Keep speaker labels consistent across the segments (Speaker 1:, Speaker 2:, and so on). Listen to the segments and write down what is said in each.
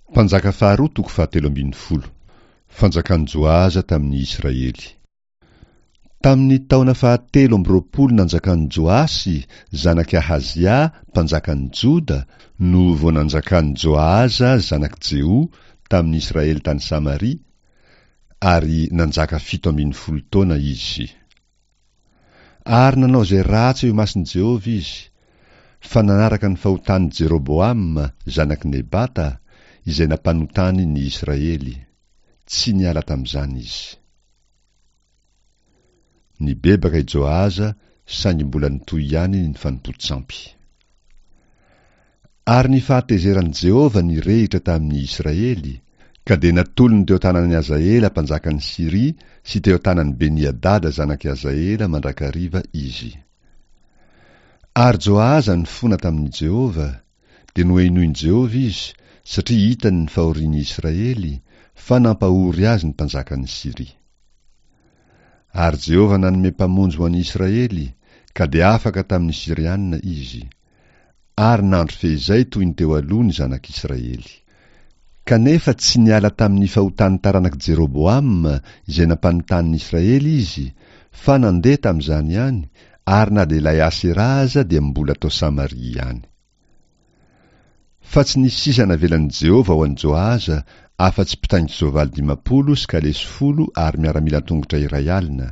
Speaker 1: Mpanjaka faharoa toko fahatelo ambin'ny folo. Fanjakan'i Joahaza tamin'ny Israely. Tamin'ny taona fahatelo amby roapolo nanjakan'i Joasy, zanak'i Ahazia, mpanjakan'i Joda, no vao nanjakan'i Joahaza, zanak'i Jeho, tamin'ny Israely tany Samaria, ary nanjaka 17 taona izy. Ary nanao izay ratsy eo imason'i Jehovah izy, fa nanaraka ny fahotan'i Jeroboama, zanak'i Nebata, izay nampanotany ny Israely. Tsy niala tamin'izany izy. Nibebaka i Joahaza, saingy mbola nitohy ihany ny fanompoan-tsampy. Ary ny fahatezeran'i Jehovah nirehitra tamin'ny Israely, ka dia natolony teo an-tanan'i Hazaela mpanjakan'i Syria sy teo an-tanan'i Beni-hadada zanak'i Hazaela mandrakariva izy. Ary Joahaza nifona tamin'i Jehovah, dia nohenoin'i Jehovah izy, satria hitany ny fahorian'ny Israely, fa nampahory azy ny mpanjakan'i Syria. Ary Jehovah nanome mpamonjy ho an'ny Israely, ka dia afaka tamin'ny Syriana izy. Ary nandry feizay toy ny teo aloha ny zanak'Israely. Kanefa tsy niala tamin'ny fahotan'ny taranak'i Jeroboama izay nampanotany ny Israely izy, fa nandeha tamin'izany ihany, ary na dia ilay Asera aza dia mbola tao Samaria ihany. Fa tsy nisy sisa navelan'i Jehovah ho an'i Joahaza afa-tsy mpitaingin-tsoavaly 50 sy kalesy folo ary miaramila an-tongotra 1000.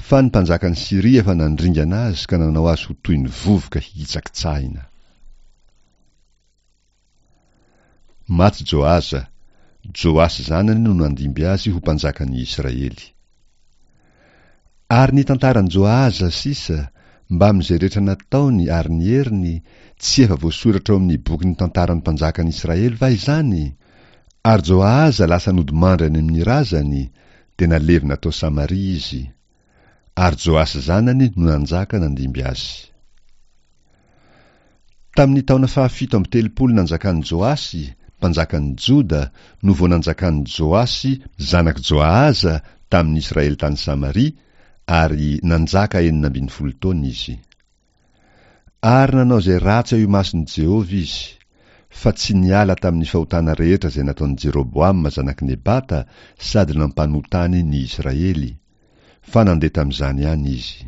Speaker 1: Fa ny mpanjakan'i Syria efa nandringana azy ka nanao azy ho toy ny vovoka hitsakitsahina. Maty Joahaza, Joasy zanany no nandimby azy ho mpanjakan'ny Israely. Ary ny tantaran'i Joahaza sisa, mbamin'izay rehetra nataony ary ny heriny, tsy efa voasoratra ao amin'ny bokin'ny tantaran'ny mpanjakan'i Israely va izany? Ary Joahaza lasa nodimandry any amin'ny razany, dia nalevina tao Samaria izy. Ary Joasy zanany no nanjaka nandimby azy. Tamin'ny taona fahafito amby telopolo nanjakan'i Joasy, mpanjakan'i Joda, no vao nanjakan'i Joasy zanak'i Joahaza tamin'ny Israely tany Samaria, ary nanjaka 16 taona izy. Ary nanao izay ratsy eo imason'i Jehovah izy, fa tsy niala tamin'ny fahotana rehetra izay nataon'i Jeroboama zanak'i Nebata sady nampanotany ny Israely, fa nandeha tamin'izany ihany izy.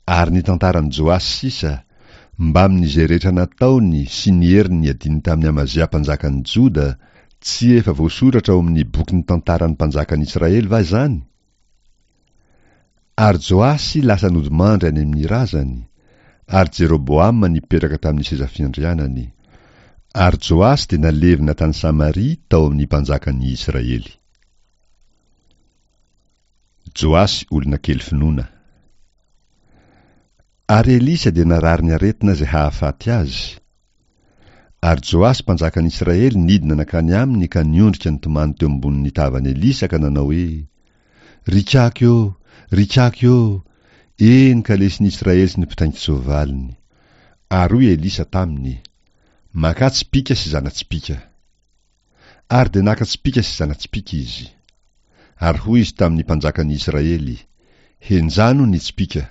Speaker 1: Ary ny tantaran'i Joasy sisa, mbamin'izay rehetra nataony sy ny heriny niadiany tamin'i Amazia mpanjakan'i Joda, tsy efa voasoratra ao amin'ny bokin'ny tantaran'ny mpanjakan'i Israely va izany? Ary Joasy lasa nodimandry any amin'ny razany, ary Jeroboama nipetraka tamin'ny seza fiandrianany. Ary Joasy dia nalevina tany Samaria tao amin'ny mpanjakan'ny Israely. Joasy olona kely finoana. Ary Elisa dia narary ny aretina izay hahafaty azy. Ary Joasy mpanjakan'i Israely nidina nankany aminy ka niondrika nitomany teo ambonin'ny tavan'i Elisa ka nanao hoe, Ry kaky ô! Ry kaky ô! Eny, kalesin'i Israely sy ny mpitaingin-tsoavaliny! Ary hoy Elisa taminy, Makà tsipìka sy zana-tsipìka. Ary dia naka tsipìka sy zana-tsipìka izy. Ary hoy izy tamin'ny mpanjakan'i Israely, Henjano ny tsipìka.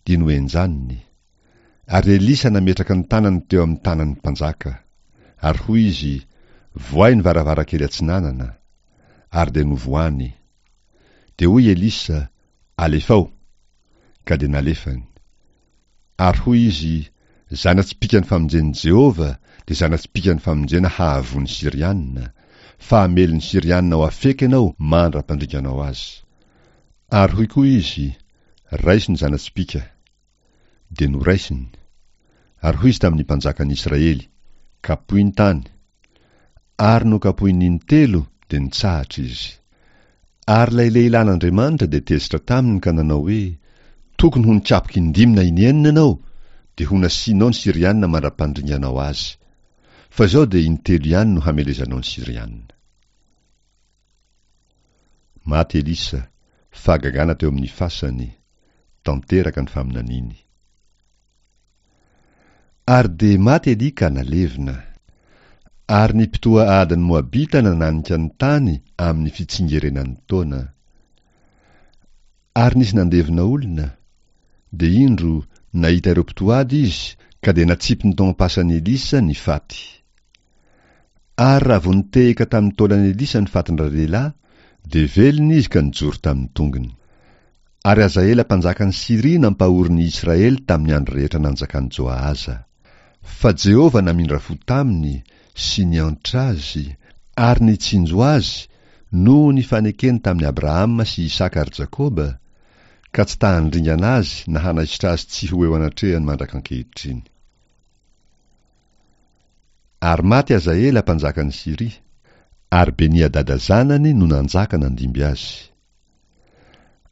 Speaker 1: Dia nohenjaniny. Ary Elisa nametraka ny tanany teo amin'ny tanan'ny mpanjaka. Ary hoy izy, Vohay ny varavarankely atsinanana. Ary dia novohany. Dia hoy Elisa, Alefao. Ka dia nalefany. Ary hoy izy, Zana-tsipìkan'ny famonjen'i Jehovah dia zana-tsipìkan'ny famonjena hahavoa ny Syriana, fa hamely ny Syriana ao Afeka ianao mandra-pandringanao azy. Ary hoy koa izy, Raiso ny zana-tsipìka. Dia noraisiny. Ary hoy izy tamin'ny mpanjakan'ny Israely, Kapohy ny tany. Ary nokapohiny intelo, dia nitsahatra izy. Ary ilay lehilahin'Andriamanitra dia tezitra taminy ka nanao hoe, Tokony ho nikapoka indimy na inenina ianao, dia ho nasianao ny Syriana mandra-pandringanao azy. Fa izao dia intelo ihany no hamelezanao ny Syriana. Maty Elisa, fahagagana teo amin'ny fasany, tanteraka ny faminaniany. Ary dia maty Elia ka nalevina. Ary ny mpitoha adin'ny Moabita nananika ny tany amin'ny fitsingerenan'ny taona. Ary nisy nandevina olona, dia indro, nahita ireo mpitohady izy, ka dia natsipiny tao am-pasan'i Elisa ny faty. Ary raha vao nitehaka tamin'ny taolan'i Elisa ny fatin-dralehilahy, dia velona izy ka nijoro tamin'ny tongony. Ary Hazaela mpanjakan'i Syria nampahory ny Israely tamin'ny andro rehetra nanjakan'i Joahaza. Fa Jehovah namindra fo taminy sy niantra azy ary nitsinjo azy noho ny fanekeny tamin'i Abrahama sy Isaka ary Jakoba, ka tsy ta-handringana azy na hanaisotra azy tsy ho eo anatrehany mandrak'ankehitriny. Ary maty Hazaela mpanjakan'i Syria, ary Beni-hadada zanany no nanjaka nandimby azy.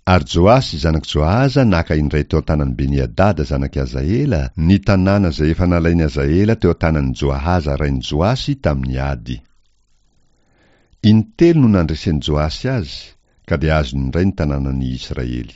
Speaker 1: Ary Joasy zanak'i Joahaza naka indray teo an-tanan'i Beni-hadada zanak'i Hazaela ny tanàna izay efa nalain'i Hazaela teo an-tanan'i Joahaza rain'i Joasy tamin'ny ady. Intelo no nandresen'i Joasy azy, ka dia azony indray ny tanànan'i Israely.